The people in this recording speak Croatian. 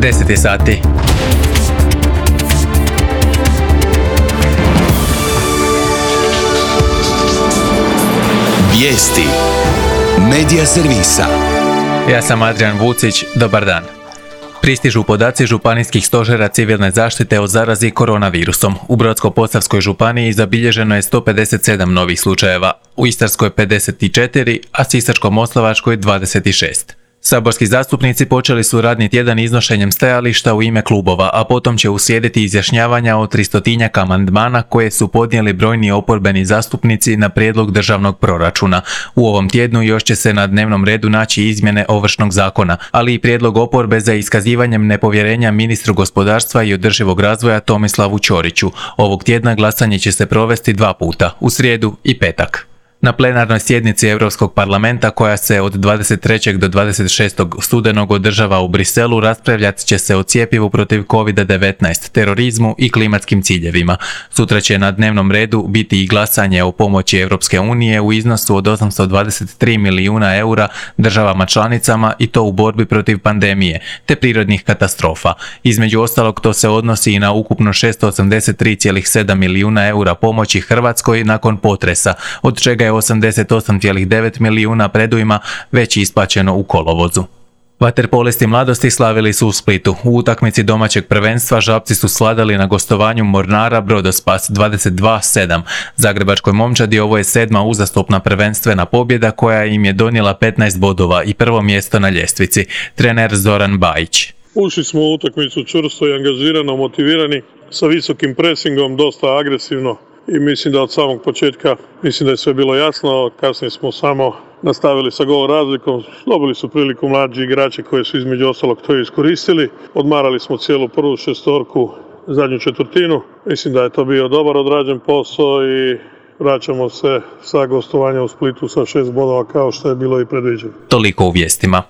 10 je sati. Vijesti Medija servisa. Ja sam Adrian Vucić, dobar dan. Pristižu podaci županijskih stožera civilne zaštite o zarazi koronavirusom. U Brodsko-posavskoj županiji zabilježeno je 157 novih slučajeva, u Istarskoj 54, a Sisačko-moslavačkoj 26. Saborski zastupnici počeli su radni tjedan iznošenjem stajališta u ime klubova, a potom će uslijediti izjašnjavanja o 300-tinjak amandmana koje su podnijeli brojni oporbeni zastupnici na prijedlog državnog proračuna. U ovom tjednu još će se na dnevnom redu naći izmjene Ovršnog zakona, ali i prijedlog oporbe za iskazivanjem nepovjerenja ministru gospodarstva i održivog razvoja Tomislavu Ćoriću. Ovog tjedna glasanje će se provesti 2 puta, u srijedu i petak. Na plenarnoj sjednici Europskog parlamenta koja se od 23. do 26. studenog održava u Briselu raspravljat će se o cjepivu protiv COVID-19, terorizmu i klimatskim ciljevima. Sutra će na dnevnom redu biti i glasanje o pomoći Europske unije u iznosu od 823 milijuna eura državama članicama i to u borbi protiv pandemije te prirodnih katastrofa. Između ostalog to se odnosi i na ukupno 683,7 milijuna eura pomoći Hrvatskoj nakon potresa, od čega je 88,9 milijuna predujma već isplaćeno u kolovozu. Vaterpolisti mladosti slavili su u Splitu. U utakmici domaćeg prvenstva Žabci su svladali na gostovanju Mornara Brodospas 22-7. Zagrebačkoj momčadi ovo je 7. uzastopna prvenstvena pobjeda koja im je donijela 15 bodova i prvo mjesto na ljestvici. Trener Zoran Bajić. Ušli smo u utakmicu čvrsto i angažirano, motivirani, sa visokim presingom, dosta agresivno. I mislim da od samog početka, da je sve bilo jasno, kasnije smo samo nastavili sa gol razlikom, dobili su priliku mlađi igrači koji su između ostalog to iskoristili, odmarali smo cijelu prvu šestorku, zadnju četvrtinu, mislim da je to bio dobar odrađen posao i vraćamo se sa gostovanja u Splitu sa 6 bodova kao što je bilo i predviđeno. Toliko u vijestima.